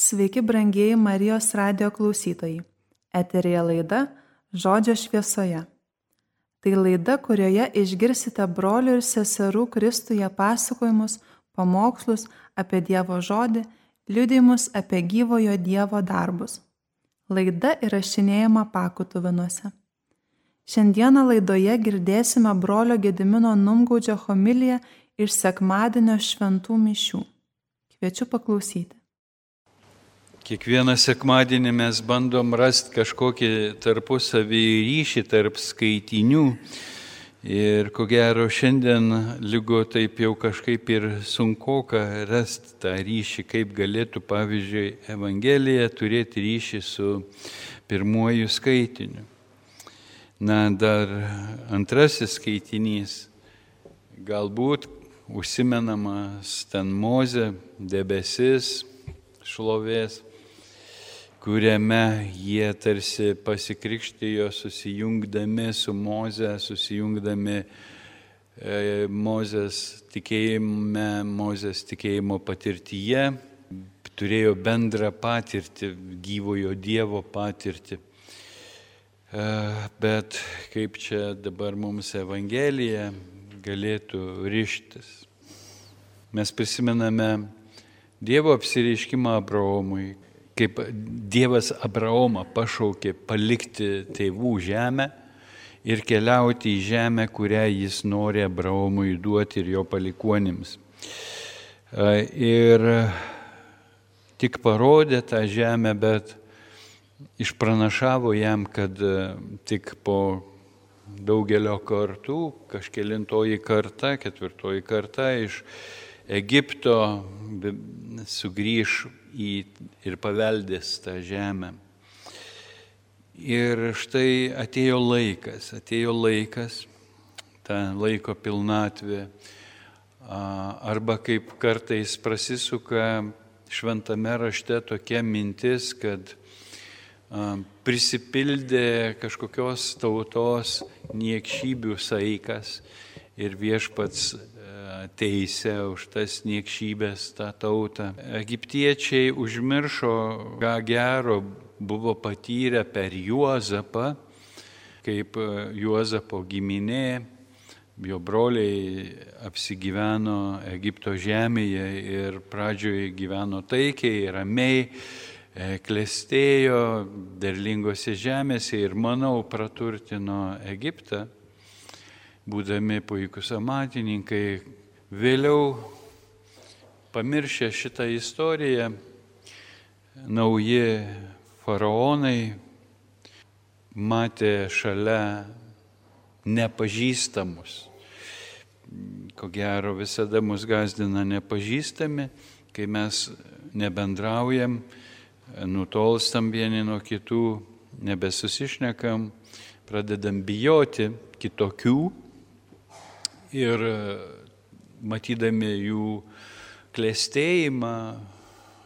Sveiki, brangieji Marijos radijo klausytojai. Eteryje laida Žodžio šviesoje. Tai laida, kurioje išgirsite brolių ir seserų Kristuje pasakojimus, pamokslus apie Dievo žodį, liudijimus apie gyvojo Dievo darbus. Laida įrašinėjama Pakutuvinuose. Šiandieną laidoje girdėsime brolio Gedimino Numgaudžio homiliją iš sekmadienio šventų mišių. Kviečiu paklausyti. Kiekvieną sekmadienį mes bandom rasti kažkokį tarpusavį ryšį tarp skaitinių ir ko gero šiandien lygu taip jau kažkaip ir sunkoka rasti tą ryšį, kaip galėtų pavyzdžiui Evangelija turėti ryšį su pirmuoju skaitiniu. Na, dar antrasis skaitinys, galbūt užsimenamas ten Mozė, debesis, šlovės, kuriame jie tarsi pasikrikštijo susijungdami su Moze, susijungdami Mozės tikėjimo patirtyje, turėjo bendrą patirtį, gyvojo Dievo patirtį. Bet kaip čia dabar mums Evangelija galėtų rištis? Mes prisimename Dievo apsireiškimą Abraomui, kaip Dievas Abraomą pašaukė palikti tėvų žemę ir keliauti į žemę, kurią jis nori Abraomui duoti ir jo palikuonims. Ir tik parodė tą žemę, bet išpranašavo jam, kad tik po daugelio kartų, kažkelintoji karta, ketvirtoji karta iš Egipto sugrįž ir paveldės tą žemę. Ir štai atėjo laikas, ta laiko pilnatvė, arba kaip kartais prasisuka šventame rašte tokia mintis, kad prisipildė kažkokios tautos niekšybių saikas ir viešpats teisė už tas niekšybės tą tautą. Egiptiečiai užmiršo, ką gero buvo patyrę per Juozapą, kaip Juozapo giminė, jo broliai apsigyveno Egipto žemėje ir pradžioje gyveno taikiai, ramiai, klestėjo derlingose žemėse ir, manau, praturtino Egiptą, būdami puikūs amatininkai. Vėliau, pamiršę šitą istoriją, nauji faraonai matė šalia nepažįstamus. Ko gero visada mus gąsdina nepažįstami, kai mes nebendraujam, nutolstam vieni nuo kitų, nebesusišnekam, pradedam bijoti kitokių ir matydami jų klestėjimą,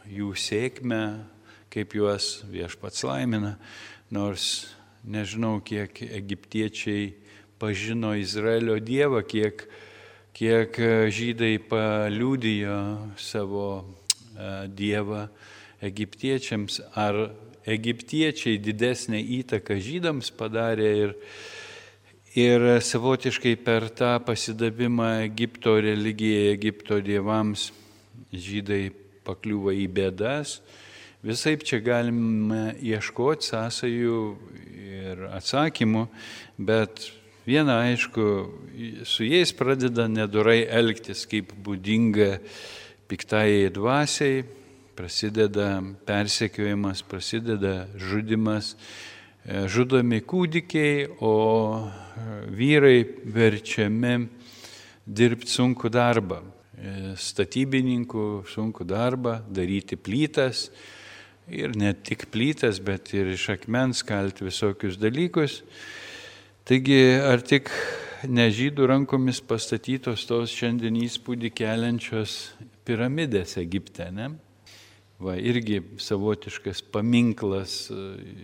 jų sėkmę, kaip juos viešpats laimina, nors nežinau, kiek egiptiečiai pažino Izraelio Dievą, kiek žydai paliudijo savo Dievą egiptiečiams, ar egiptiečiai didesnę įtaką žydams padarė ir savotiškai per tą pasidavimą Egipto religijai, Egipto dievams žydai pakliuvo į bėdas. Visaip čia galime ieškoti sąsajų ir atsakymų, bet viena aišku, su jais pradeda nedorai elgtis, kaip būdinga piktajai dvasiai, prasideda persekiojimas, prasideda žudimas, žudomi kūdikiai, o vyrai verčiami dirbti sunkų darbą, statybininkų sunkų darbą, daryti plytas ir ne tik plytas, bet ir iš akmens kalti visokius dalykus. Taigi, ar tik ne žydų rankomis pastatytos tos šiandien įspūdį keliančios piramidės Egipte, ne? Va, irgi savotiškas paminklas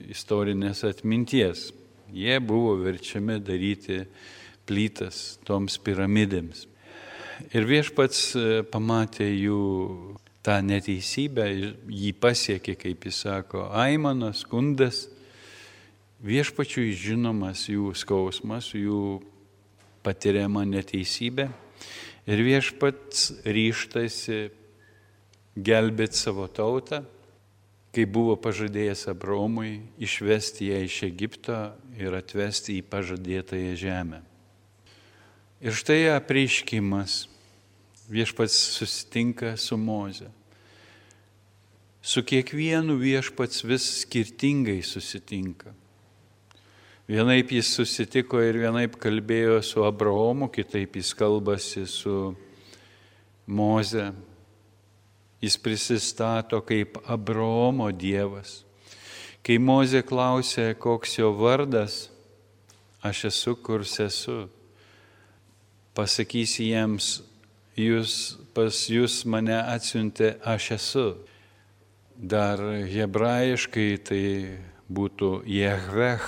istorinės atminties. Jie buvo verčiami daryti plytas toms piramidėms. Ir viešpats pamatė jų tą neteisybę, jį pasiekė, kaip jis sako, aimanas, skundas, viešpačiui žinomas jų skausmas, jų patiriama neteisybė ir viešpats ryžtasi gelbėti savo tautą, kai buvo pažadėjęs Abraomui išvesti ją iš Egipto ir atvesti į pažadėtąją žemę. Ir štai apreiškimas. Viešpats susitinka su Moze. Su kiekvienu viešpats vis skirtingai susitinka. Vienaip jis susitiko ir vienaip kalbėjo su Abraomu, kitaip jis kalbasi su Moze. Jis prisistato kaip Abraomo Dievas. Kai Mozė klausė, koks jo vardas, aš esu, kurs esu. Pasakysi jiems, pas jūs mane atsiuntė, aš esu. Dar hebrajiškai tai būtų Jehveh,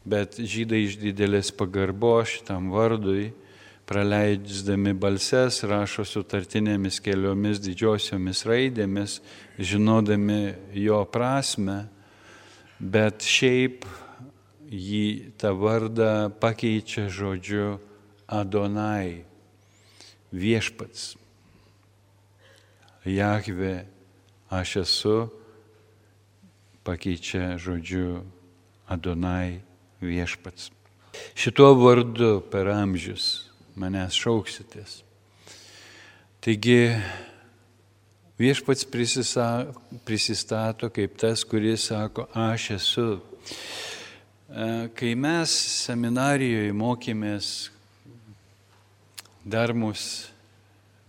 bet žydai iš didelės pagarbos šitam vardui, praleidžiami balses, rašo sutartinėmis keliomis didžiosiomis raidėmis, žinodami jo prasme, bet šiaip jį tą vardą pakeičia žodžiu Adonai, viešpats. Jahve, aš esu, pakeičia žodžiu Adonai, viešpats. Šituo vardu per amžius manęs šauksitės. Taigi viešpats prisistato kaip tas, kuris sako, aš esu. Kai mes seminarijoje mokėmės, dar mus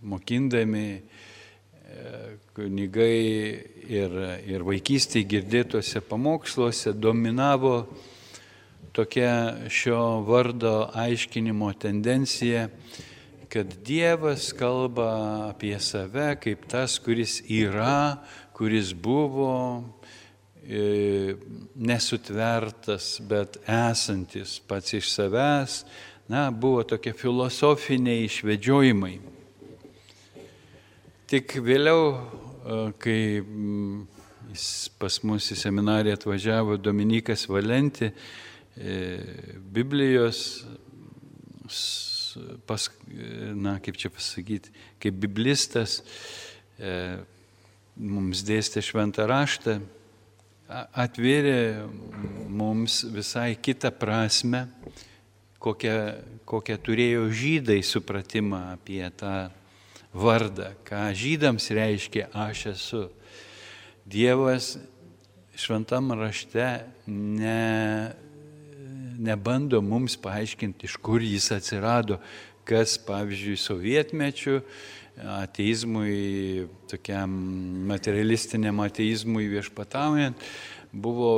mokindami, kunigai ir vaikystėje girdėtuose pamoksluose dominavo tokia šio vardo aiškinimo tendencija, kad Dievas kalba apie save kaip tas, kuris yra, kuris buvo nesutvertas, bet esantis pats iš savęs. Buvo tokie filosofiniai išvedžiojimai. Tik vėliau, kai pas mus į seminariją atvažiavo Dominikas Valenti, Biblijos, kaip biblistas, mums dėstė šventą raštą, atvėrė mums visai kitą prasme, kokią turėjo žydai supratimą apie tą vardą, ką žydams reiškia aš esu. Dievas šventam rašte nebando mums paaiškinti, iš kur jis atsirado, kas, pavyzdžiui, sovietmečiu ateizmui, tokiam materialistiniam ateizmui viešpataujant, buvo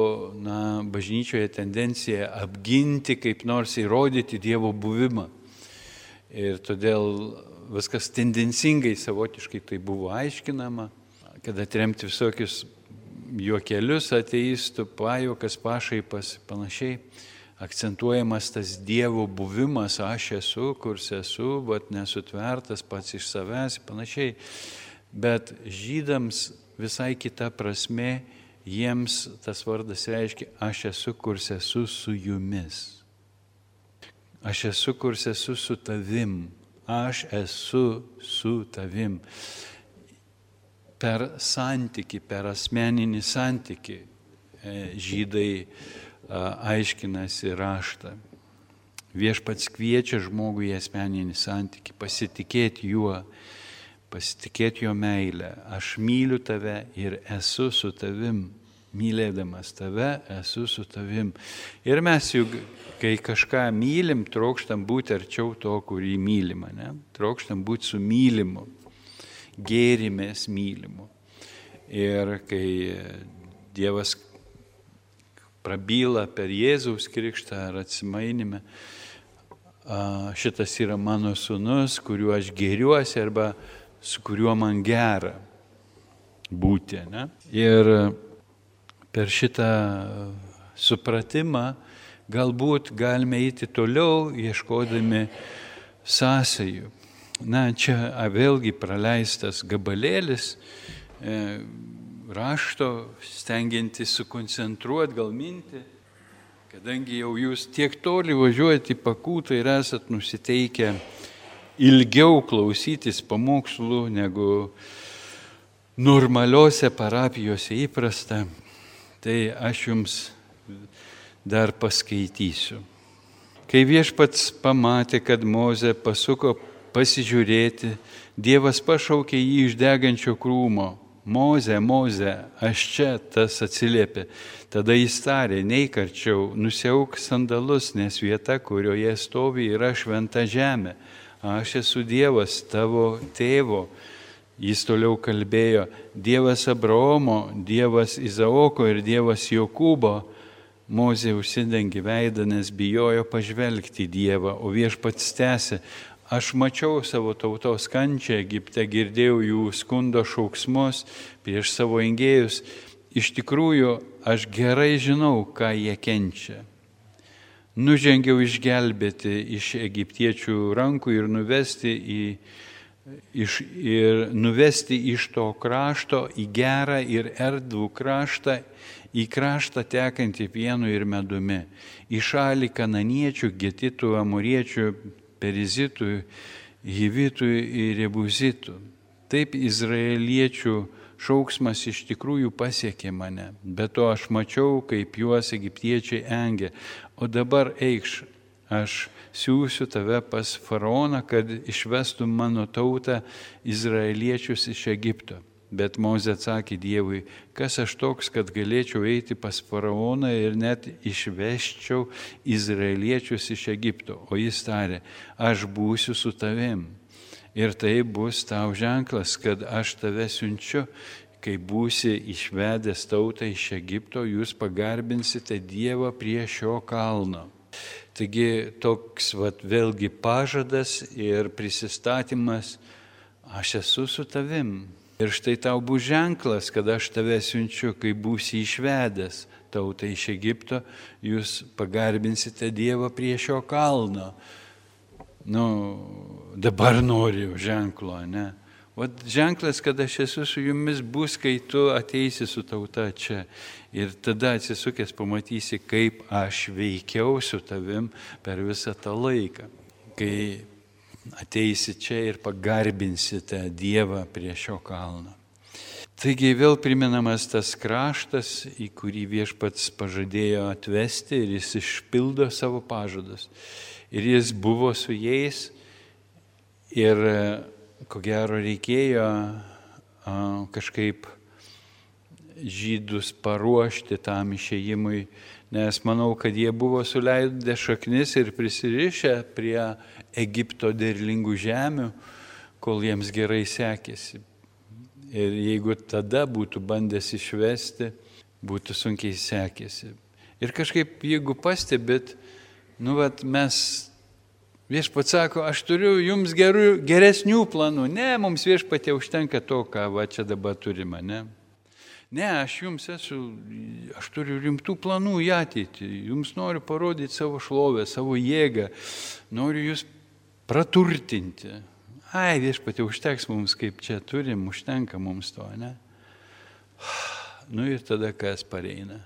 bažnyčioje tendencija apginti, kaip nors įrodyti Dievo buvimą. Ir todėl viskas tendencingai savotiškai tai buvo aiškinama, kad atremti visokius juokelius ateistų, pajuokas, pašaipas, panašiai. Akcentuojamas tas Dievo buvimas, aš esu, kurs esu, bet nesutvertas pats iš savęs, panašiai. Bet žydams visai kita prasme, jiems tas vardas reiškia, aš esu, kurs esu su jumis. Aš esu, kurs esu su tavim. Aš esu su tavim. Per santykį, per asmeninį santykį žydai aiškinasi raštą. Viešpats kviečia žmogų į asmeninį santykį, pasitikėti juo, pasitikėti jo meilę. Aš myliu tave ir esu su tavim. Mylėdamas tave, esu su tavim. Ir mes juk, kai kažką mylim, trokštam būti arčiau to, kurį mylim, ne? Trokštam būti su mylimu, gėrimės mylimu. Ir kai Dievas prabyla per Jėzaus krikštą ar atsimainimą, šitas yra mano sūnus, kuriuo aš gėriuosi arba su kuriuo man gera būti. Ne? Ir per šitą supratimą galbūt galime eiti toliau, ieškodami sąsajų. Čia vėlgi praleistas gabalėlis rašto, stengiantis sukoncentruoti gal mintį, kadangi jau jūs tiek toli važiuojate į Pakūtą ir esat nusiteikę ilgiau klausytis pamokslų negu normaliuose parapijose įprasta, tai aš jums dar paskaitysiu. Kai Viešpats pamatė, kad Mozė pasuko pasižiūrėti, Dievas pašaukė jį iš degančio krūmo. Mozė, Mozė, aš čia, tas atsiliepė. Tada jis tarė, neik arčiau, nusiauk sandalus, nes vieta, kurioje stovi, yra šventa žemė. Aš esu Dievas tavo tėvo. Jis toliau kalbėjo, Dievas Abraomo, Dievas Izaoko ir Dievas Jokūbo. Mozė užsidengė veidą, nes bijojo pažvelgti į Dievą, o Viešpats tęsė, aš mačiau savo tautos kančią Egipte, girdėjau jų skundo šauksmus prieš savo engėjus. Iš tikrųjų, aš gerai žinau, ką jie kenčia. Nužengiau išgelbėti iš egiptiečių rankų ir nuvesti iš to krašto į gerą ir erdvų kraštą, į kraštą tekantį pienu ir medumi, į šalį kananiečių, getitų, amoriečių, perizitų, hivitų ir jebuzitų. Taip izraeliečių šauksmas iš tikrųjų pasiekė mane, bet to aš mačiau, kaip juos egiptiečiai engė. O dabar eikš, aš siųsiu tave pas faraoną, kad išvestum mano tautą izraeliečius iš Egipto. Bet Mozė atsakė Dievui, kas aš toks, kad galėčiau eiti pas faraoną ir net išveščiau izraeliečius iš Egipto. O jis tarė, aš būsiu su tavim. Ir tai bus tau ženklas, kad aš tave siunčiu, kai būsi išvedęs tautą iš Egipto, jūs pagarbinsite Dievą prie šio kalno. Taigi toks vėlgi pažadas ir prisistatymas, aš esu su tavim. Ir štai tau bus ženklas, kad aš tave siunčiu, kai būsi išvedęs tautą iš Egipto, jūs pagarbinsite Dievą prie šio kalno. Dabar noriu ženklo, ne? O ženklas, kad aš esu su jumis, bus, kai tu ateisi su tauta čia. Ir tada atsisukęs pamatysi, kaip aš veikiau su tavim per visą tą laiką. Kai ateisi čia ir pagarbinsite Dievą prie šio kalno. Taigi vėl priminamas tas kraštas, į kurį Viešpats pažadėjo atvesti ir jis išpildo savo pažadus. Ir jis buvo su jais ir ko gero reikėjo kažkaip žydus paruošti tam išėjimui, nes manau, kad jie buvo suleidę šaknis ir prisirišę prie Egipto derlingų žemių, kol jiems gerai sekėsi. Ir jeigu tada būtų bandęs išvesti, būtų sunkiai sekėsi. Ir kažkaip, jeigu pastebit, Viešpats sako, aš turiu jums geresnių planų. Ne, mums Viešpatie užtenka to, ką čia dabar turime, ne? Ne, aš turiu rimtų planų į ateitį. Jums noriu parodyti savo šlovę, savo jėgą. Noriu jūs praturtinti. Viešpatie, užteks mums, kaip čia turim, užtenka mums to, ne? Ir tada kas pareina?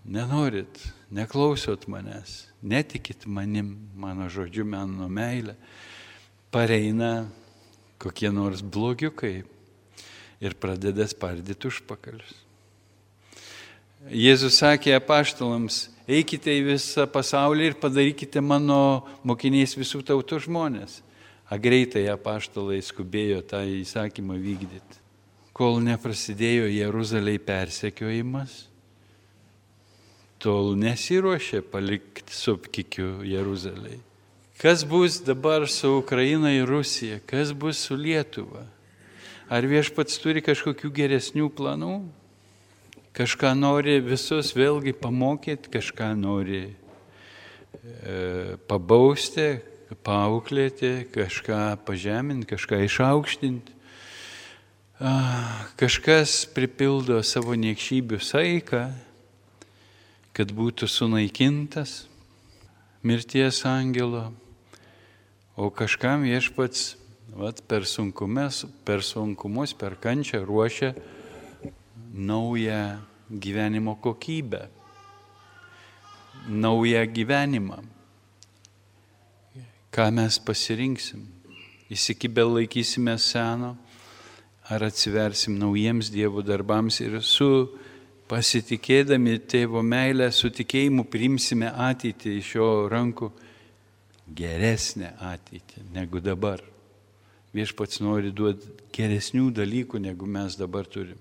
Nenorit, neklausot manęs, netikit manim, mano žodžiu, mano meilę. Pareina kokie nors blogiukai ir pradeda spardyti užpakalius. Jėzus sakė apaštalams, eikite į visą pasaulį ir padarykite mano mokiniais visų tautų žmonės. Greitai apaštalai skubėjo tą įsakymą vykdyti. Kol neprasidėjo Jeruzalėj persekiojimas, tol nesiruošė palikti su apkikiu Jeruzalėj. Kas bus dabar su Ukraina ir Rusija? Kas bus su Lietuva? Ar Viešpats turi kažkokių geresnių planų? Kažką nori visus vėlgi pamokyti, kažką nori pabausti, paauklėti, kažką pažeminti, kažką išaukštinti. Kažkas pripildo savo niekšybių saiką, kad būtų sunaikintas mirties angelo, O kažkam Viešpats per sunkumus, per kančią ruošia naują gyvenimo kokybę, naują gyvenimą. Ką mes pasirinksim? Įsikibę laikysime seno, ar atsiversim naujiems Dievo darbams ir su pasitikėdami Tėvo meilę, su tikėjimu priimsime ateitį iš jo rankų, geresnę ateitį negu dabar. Viešpats nori duoti geresnių dalykų, negu mes dabar turim.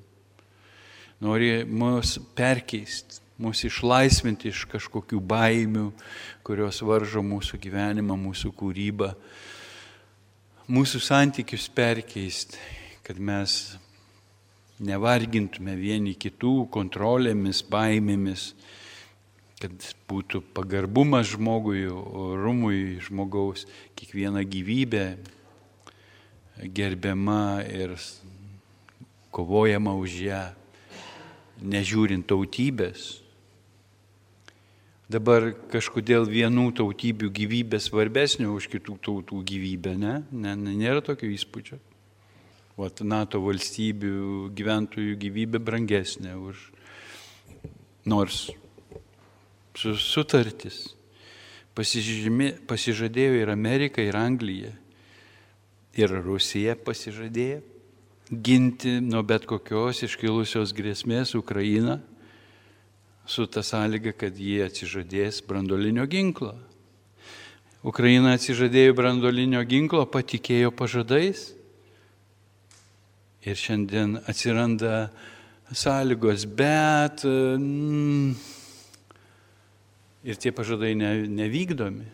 Nori mus perkeisti, mus išlaisvinti iš kažkokių baimių, kurios varžo mūsų gyvenimą, mūsų kūrybą, mūsų santykius perkeisti, kad mes nevargintume vieni kitų kontrolėmis, baimėmis, kad būtų pagarbumas žmogui, orumui žmogaus, kiekviena gyvybė gerbiama ir kovojama už ją, nežiūrint tautybės. Dabar kažkodėl vienų tautybių gyvybė svarbesnė už kitų tautų gyvybę, ne? Nėra tokio įspūdžio. NATO valstybių gyventojų gyvybė brangesnė už nors sutartis. Pasižadėjo ir Amerika, ir Anglija, ir Rusija pasižadėjo ginti nuo bet kokios iškilusios grėsmės Ukrainą su ta sąlyga, kad jie atsižadės branduolinio ginklo. Ukraina atsižadėjo branduolinio ginklo, patikėjo pažadais ir šiandien atsiranda sąlygos, bet ir tie pažadai nevykdomi.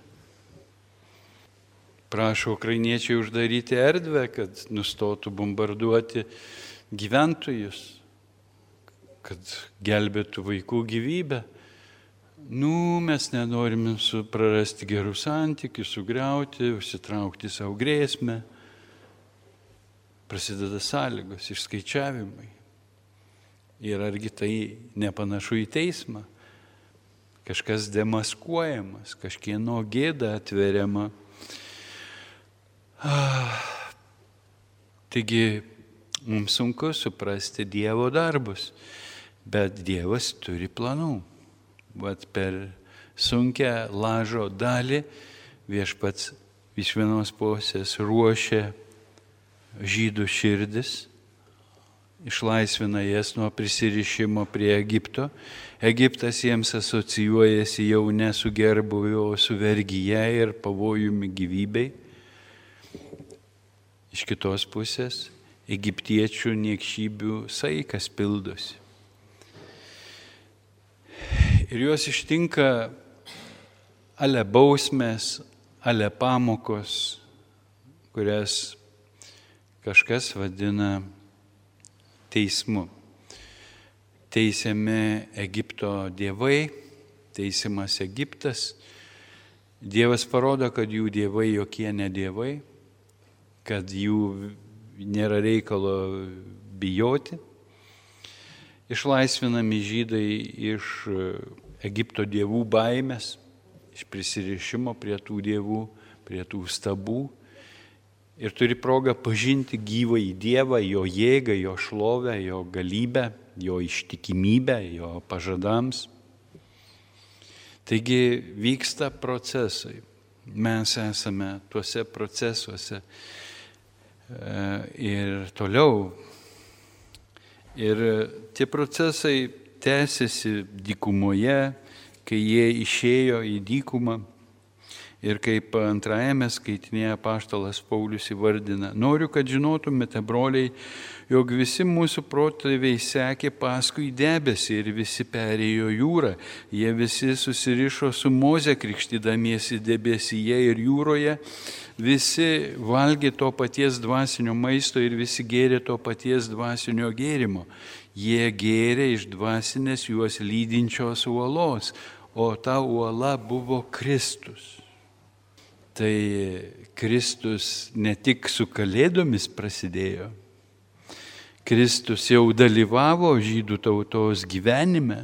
Prašo ukrainiečiai uždaryti erdvę, kad nustotų bombarduoti gyventojus, kad gelbėtų vaikų gyvybę. Mes nenorime prarasti gerų santykių, sugriauti, užsitraukti savo grėsmę. Prasideda sąlygos, išskaičiavimai. Ir argi tai nepanašu į teismą? Kažkas demaskuojamas, kažkieno gėda atveriama. Taigi mums sunku suprasti Dievo darbus, bet Dievas turi planų. Bet per sunkią lažo dalį Viešpats iš vienos pusės ruošia žydų širdis, išlaisvina jas nuo prisirišimo prie Egipto. Egiptas jiems asocijuojasi jau ne su gerbūviu, o su vergyje ir pavojumi gyvybei. Iš kitos pusės egiptiečių niekšybių saikas pildosi. Ir juos ištinka ale bausmės, ale pamokos, kurias kažkas vadina teismu. Teisiami Egipto dievai, teisiamas Egiptas. Dievas parodo, kad jų dievai jokie ne dievai, kad jų nėra reikalo bijoti. Išlaisvinami žydai iš Egipto dievų baimės, iš prisirišimo prie tų dievų, prie tų stabų. Ir turi progą pažinti gyvąjį Dievą, jo jėgą, jo šlovę, jo galybę, jo ištikimybę, jo pažadams. Taigi vyksta procesai. Mes esame tuose procesuose ir toliau. Ir tie procesai tęsiasi dykumoje, kai jie išėjo į dykumą. Ir kaip antrajame skaitinėje apaštalas Paulius įvardina, noriu, kad žinotumėte, broliai, jog visi mūsų protėviai sekė paskui debesį ir visi perėjo jūrą. Jie visi susirišo su Moze krikštydamiesi debesyje ir jūroje, visi valgė to paties dvasinio maisto ir visi gėrė to paties dvasinio gėrimo. Jie gėrė iš dvasinės juos lydinčios uolos, o ta uola buvo Kristus. Tai Kristus ne tik su Kalėdomis prasidėjo, Kristus jau dalyvavo žydų tautos gyvenime,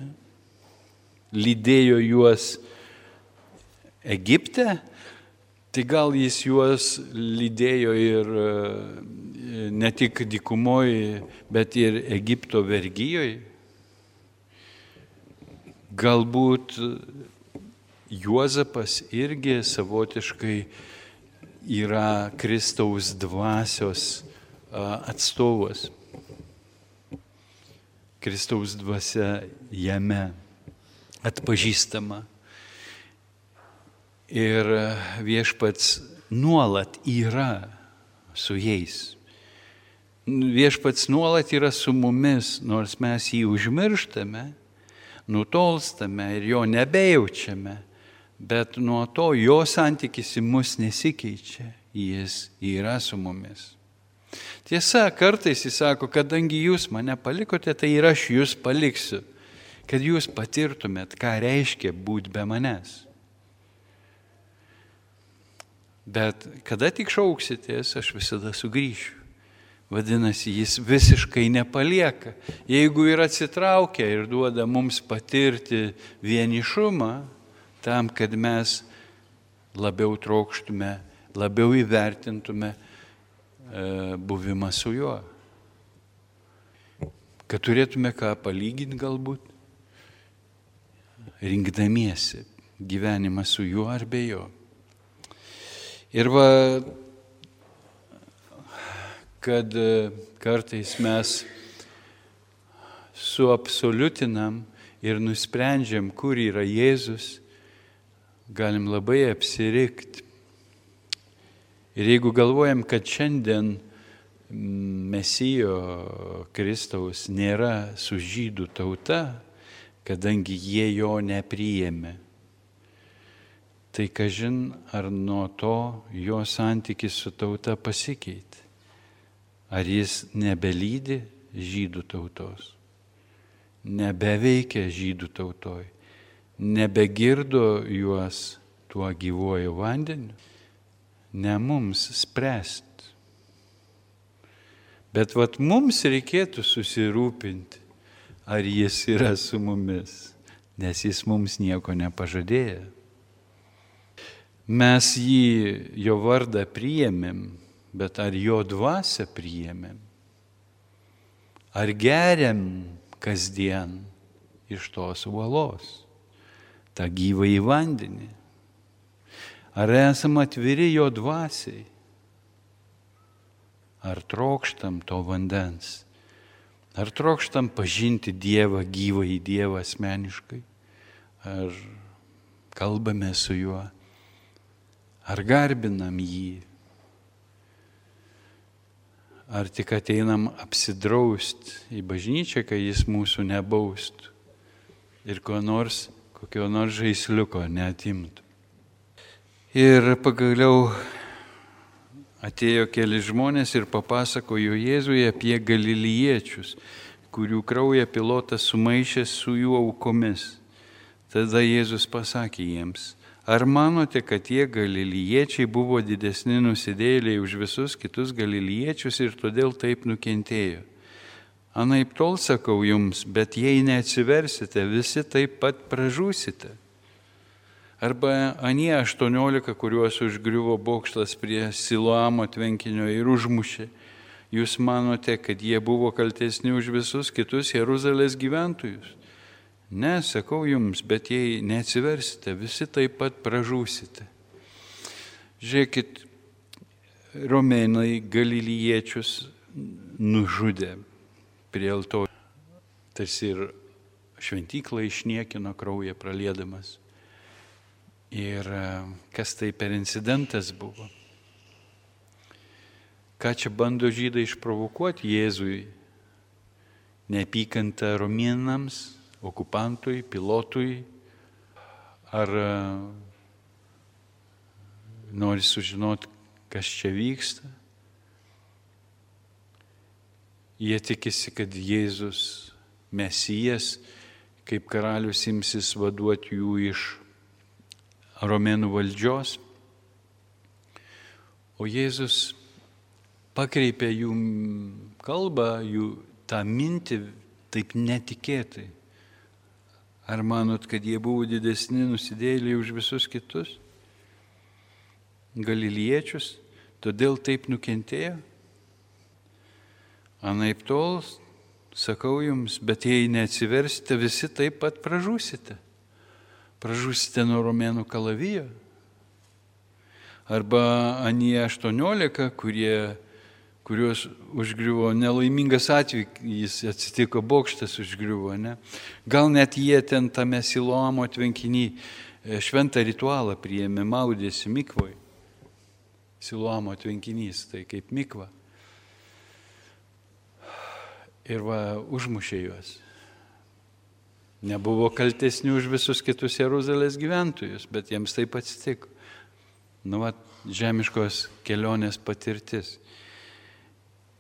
lydėjo juos Egipte, Tai gal jis juos lydėjo ir ne tik dykumoje, bet ir Egipto vergijoje. Galbūt Juozapas irgi savotiškai yra Kristaus dvasios atstovas. Kristaus dvasia jame atpažįstama. Ir viešpats nuolat yra su jais. Viešpats nuolat yra su mumis, nors mes jį užmirštame, nutolstame ir jo nebejaučiame, bet nuo to jo santykis į mus nesikeičia, jis yra su mumis. Tiesa, kartais jis sako, kadangi jūs mane palikote, tai ir aš jūs paliksiu, kad jūs patirtumėt, ką reiškia būti be manęs. Bet kada tik šauksitės, aš visada sugrįšiu. Vadinasi, jis visiškai nepalieka. Jeigu ir atsitraukia ir duoda mums patirti vienišumą, tam, kad mes labiau trokštume, labiau įvertintume buvimą su juo. Kad turėtume ką palyginti galbūt, rinkdamiesi gyvenimą su juo ar be jo. Ir kad kartais mes suabsoliutinam ir nusprendžiam, kur yra Jėzus, galim labai apsirikti. Ir jeigu galvojam, kad šiandien Mesijo Kristaus nėra su žydų tauta, kadangi jie jo nepriėmė, tai kažin ar nuo to jo santykis su tauta pasikeitė. Ar jis nebelydi žydų tautos, nebeveikia žydų tautoj, nebegirdo juos tuo gyvuoju vandeniu, ne mums spręsti. Bet mums reikėtų susirūpinti, ar jis yra su mumis, nes jis mums nieko nepažadėjo. Mes jo vardą priėmėm, bet ar jo dvasią priėmėm? Ar geriam kasdien iš tos uolos, tą gyvąjį vandenį? Ar esam atviri jo dvasiai? Ar trokštam to vandens? Ar trokštam pažinti Dievą, gyvąjį Dievą asmeniškai? Ar kalbame su juo? Ar garbinam jį? Ar tik ateinam apsidraust į bažnyčią, kai jis mūsų nebaustų ir kokio nors žaisliuko neatimtų? Ir pagaliau atėjo keli žmonės ir papasakojo Jėzui apie galiliečius, kurių kraują Pilotas sumaišė su jų aukomis. Tada Jėzus pasakė jiems: ar manote, kad tie galiliečiai buvo didesni nusidėjėliai už visus kitus galiliečius ir todėl taip nukentėjo? Anaiptol sakau jums, bet jei neatsiversite, visi taip pat pražūsite. Arba anie 18, kuriuos užgriuvo bokštas prie Siloamo tvenkinio ir užmušė, jūs manote, kad jie buvo kaltesni už visus kitus Jeruzalės gyventojus? Ne, sakau jums, bet jei neatsiversite, visi taip pat pražūsite. Žiūrėkit, romėnai galiliečius nužudė prie altorių. Tarsi ir šventyklą išniekino kraują praliedamas. Ir kas tai per incidentas buvo? Ką čia bando žydai išprovokuoti Jėzui? Neapykantą romėnams, okupantui, pilotui, ar nori sužinoti, kas čia vyksta. Jie tikisi, kad Jėzus, Mesijas, kaip karalius imsis vaduoti jų iš romėnų valdžios. O Jėzus pakreipė jų kalbą, jų tą mintį taip netikėtai. Ar manot, kad jie buvo didesni nusidėjėliai už visus kitus? galiliečius, todėl taip nukentėjo? Anaiptol, sakau jums, bet jei neatsiversite, visi taip pat pražūsite. Pražūsite nuo romėnų kalavijo. Arba anie 18, kuriuos užgriuvo nelaimingas atvejis, atsitiko, bokštas užgriuvo, ne? Gal net jie ten tame Siloamo tvenkiny šventą ritualą priėmė, maudėsi mikvoj. Siloamo tvenkinys, tai kaip mikva. Ir užmušė juos. Nebuvo kaltesnių už visus kitus Jeruzalės gyventojus, bet jiems taip atsitiko. Žemiškos kelionės patirtis.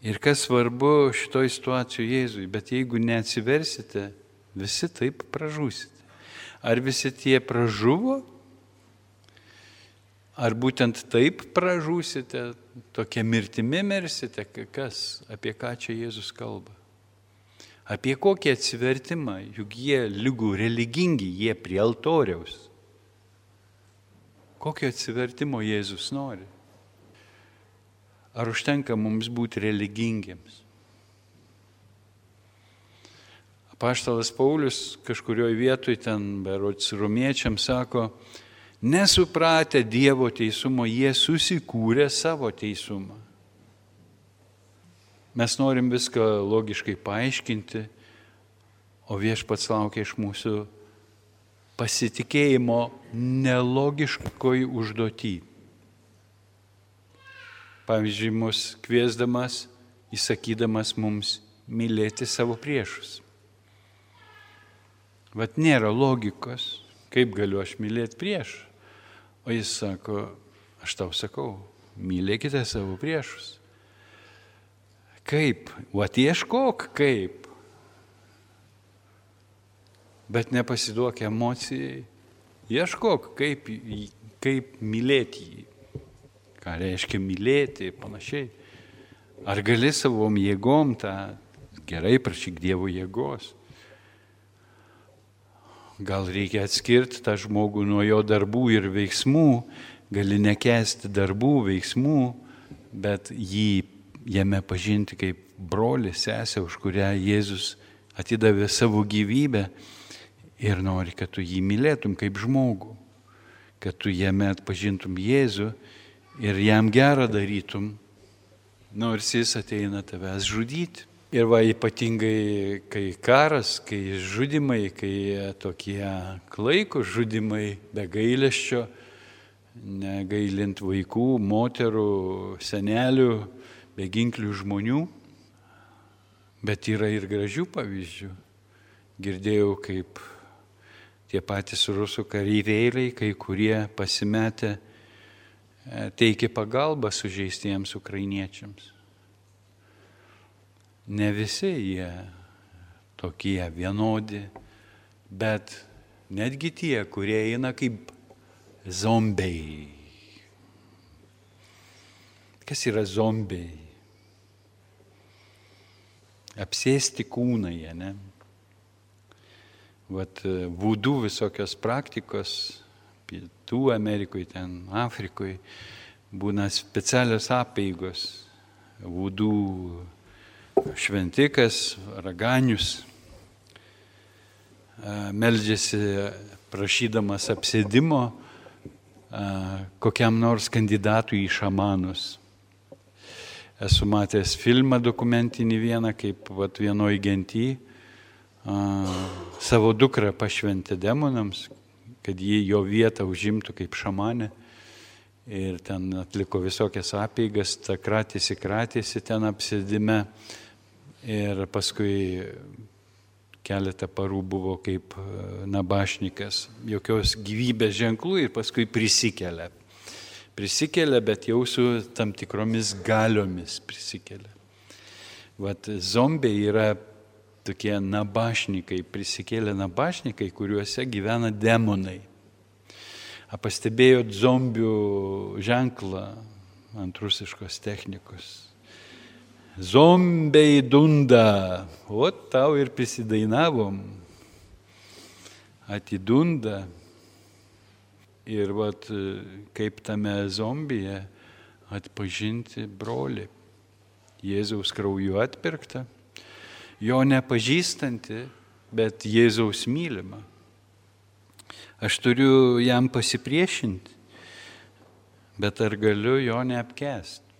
Ir kas svarbu šitoj situacijoje Jėzui, bet jeigu neatsiversite, visi taip pražūsite. Ar visi tie pražuvo? Ar būtent taip pražūsite, tokia mirtimi mirsite? Kas, apie ką čia Jėzus kalba? Apie kokį atsivertimą, juk jie lygų religingi, jie prie altoriaus. Kokio atsivertimo Jėzus nori? Ar užtenka mums būti religingiems? Apaštalas Paulius kažkurioje vietoje ten, berods romiečiams, sako, nesupratę Dievo teisumo, jie susikūrė savo teisumą. Mes norim viską logiškai paaiškinti, o Viešpats laukia iš mūsų pasitikėjimo nelogiškoj užduotį. Pavyzdžiui, mus kviesdamas, įsakydamas mums mylėti savo priešus. Vat nėra logikos, kaip galiu aš mylėti priešą. O jis sako, aš tau sakau, mylėkite savo priešus. Kaip? Vat ieškok kaip. Bet nepasiduok emocijai. Ieškok kaip mylėti jį. Ką reiškia mylėti, panašiai. Ar gali savom jėgom tą, gerai, prašyk Dievo jėgos. Gal reikia atskirti tą žmogų nuo jo darbų ir veiksmų, gali nekęsti darbų, veiksmų, bet jame pažinti kaip brolį, sesę, už kurią Jėzus atidavė savo gyvybę ir nori, kad tu jį mylėtum kaip žmogų, kad tu jame atpažintum Jėzų ir jam gerą darytum, nors jis ateina tavęs žudyti. Ir ypatingai, kai karas, kai žudimai, kai tokie klaikūs žudimai be gailesčio, negailint vaikų, moterų, senelių, beginklių žmonių, bet yra ir gražių pavyzdžių. Girdėjau, kaip tie patys rusų kareiviai, kai kurie pasimetę, teikė pagalbą sužeistiems ukrainiečiams. Ne visi jie tokie vienodi, bet netgi tie, kurie eina kaip zombiai. Kas yra zombiai? Apsėsti kūnai, ne? Vudų visokios praktikos, Pietų Amerikoje, ten Afrikoje, būna specialios apeigos. Vudų šventikas, raganius, meldžiasi prašydamas apsėdimo kokiam nors kandidatui į šamanus. Esu matęs filmą dokumentinį vieną, kaip vienoj genty savo dukrą pašventė demonams, kad jį jo vietą užimtų kaip šamanė. Ir ten atliko visokias apeigas, kratėsi ten apsėdime. Ir paskui keletą parų buvo kaip nabašnikas, jokios gyvybės ženklų ir paskui prisikelia. Prisikelia, bet jau su tam tikromis galiomis prisikelia. Zombiai yra tokie nabašnikai, prisikėlę nabašnikai, kuriuose gyvena demonai. Pastebėjot zombių ženklą ant rusiškos technikos. Zombiai dunda, o tau ir prisidainavom. Atidunda. Ir vat, kaip tame zombije atpažinti brolį. Jėzaus krauju atpirktą, jo nepažįstanti, bet Jėzaus mylimą. Aš turiu jam pasipriešinti, bet ar galiu jo neapkęsti?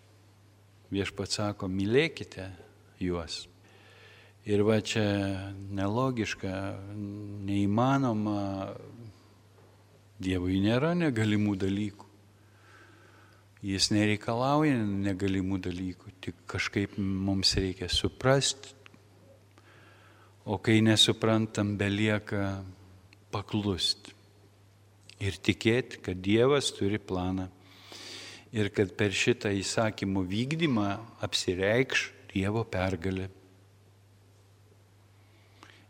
Viešpats sako, mylėkite juos. Ir va čia nelogiška, neįmanoma, Dievui nėra negalimų dalykų. Jis nereikalauja negalimų dalykų, tik kažkaip mums reikia suprasti, o kai nesuprantam, belieka paklusti ir tikėti, kad Dievas turi planą ir kad per šitą įsakymų vykdymą apsireikš Dievo pergalė.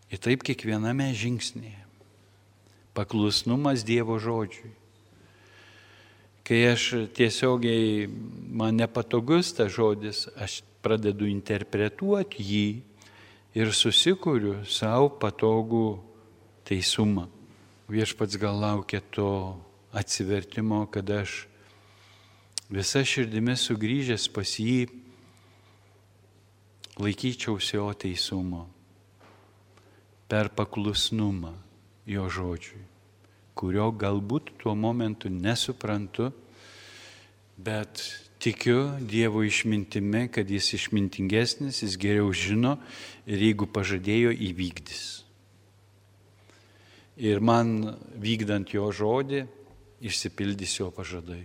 Ir taip kiekviename žingsnėje. Paklusnumas Dievo žodžiui. Kai aš tiesiogiai, man nepatogus tas žodis, aš pradedu interpretuoti jį ir susikuriu savo patogų teisumą. Viešpats gal laukia to atsivertimo, kad aš visa širdimi sugrįžęs pas jį laikyčiausi jo teisumo per paklusnumą jo žodžiui, kurio galbūt tuo momentu nesuprantu, bet tikiu Dievo išmintimi, kad jis išmintingesnis, jis geriau žino ir jeigu pažadėjo, įvykdys. Ir man vykdant jo žodį, išsipildys jo pažadai.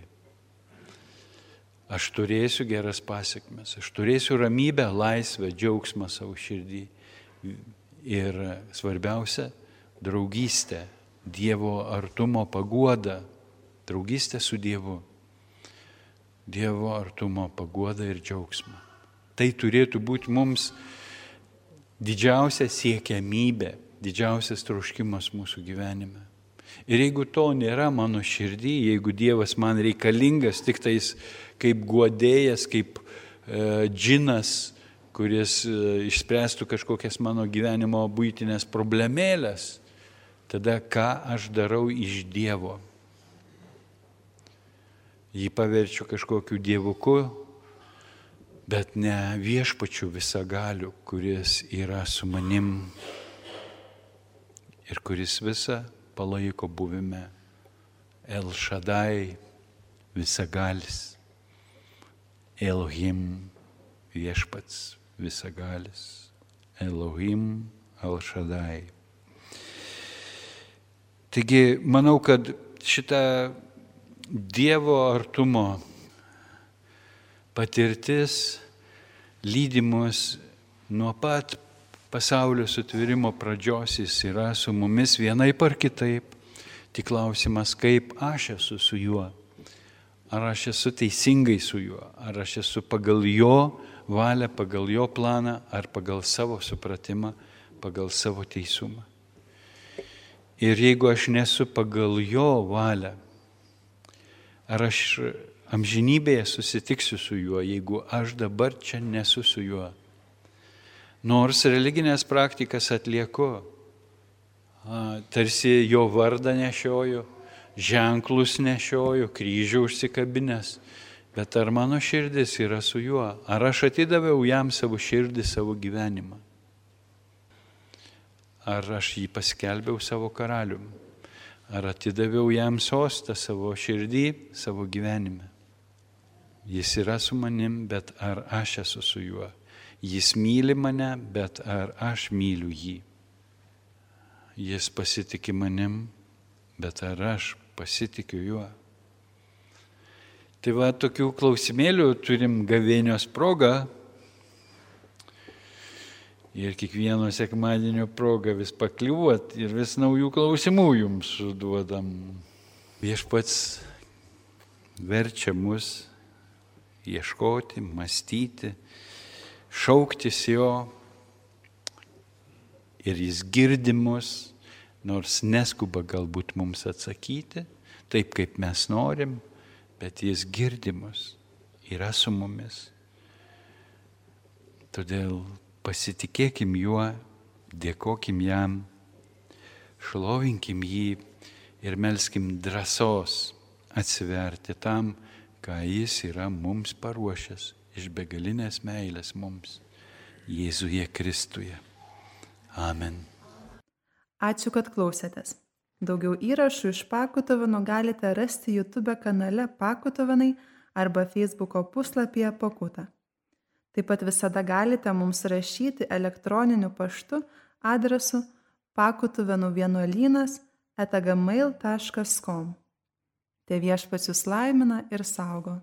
Aš turėsiu geras pasiekmes, aš turėsiu ramybę, laisvę, džiaugsmą savo širdį. Ir svarbiausia, draugystę, Dievo artumo paguodą, draugystę su Dievu. Dievo artumo paguodą ir džiaugsmą. Tai turėtų būti mums didžiausia siekiamybė, didžiausias troškimas mūsų gyvenime. Ir jeigu to nėra mano širdį, jeigu Dievas man reikalingas tik tais kaip guodėjas, kaip džinas, kuris išspręstų kažkokias mano gyvenimo buitinės problemėlės, tada ką aš darau iš Dievo? Jį paverčiu kažkokiu dievuku, bet ne viešpačiu visagaliu, kuris yra su manim ir kuris visą palaiko buvime. El Shaddai, visagalis, Elohim, viešpats, visagalis, Elohim, El Shaddai. Taigi, manau, kad šitą Dievo artumo patirtis lydi mus nuo pat pasaulio sutvėrimo pradžios, jis yra su mumis vienaip ar kitaip. Tik klausimas, kaip aš esu su juo. Ar aš esu teisingai su juo, ar aš esu pagal jo valią, pagal jo planą, ar pagal savo supratimą, pagal savo teisumą. Ir jeigu aš nesu pagal jo valią, ar aš amžinybėje susitiksiu su juo, jeigu aš dabar čia nesu su juo. Nors religinės praktikas atlieku, tarsi jo vardą nešioju, ženklus nešioju, kryžių užsikabinęs, bet ar mano širdis yra su juo, ar aš atidaviau jam savo širdį, savo gyvenimą. Ar aš jį paskelbiau savo karalium? Ar atidaviau jam sostą savo širdį, savo gyvenime? Jis yra su manim, bet ar aš esu su juo? Jis myli mane, bet ar aš myliu jį? Jis pasitiki manim, bet ar aš pasitikiu juo? Tai va, tokių klausimėlių turim gavėnios progą. Ir kiekvieno sekmadienio progą vis pakliuot ir vis naujų klausimų jums suduodam. Viešpats verčia mus ieškoti, mąstyti, šauktis jo ir jis girdi mus, nors neskuba galbūt mums atsakyti, taip kaip mes norim, bet jis girdi mus, yra su mumis. Todėl pasitikėkim juo, dėkokim jam, šlovinkim jį ir melskim drąsos atsiverti tam, ką jis yra mums paruošęs iš begalinės meilės mums, Jėzuje Kristuje. Amen. Ačiū, kad klausėtės. Daugiau įrašų iš Pakutovino galite rasti YouTube kanale Pakutovinai arba Facebooko puslapyje Pakuta. Taip pat visada galite mums rašyti elektroniniu paštu adresu pakutuvinuvienuolynas@gmail.com. Te Viešpats jus laimina ir saugo.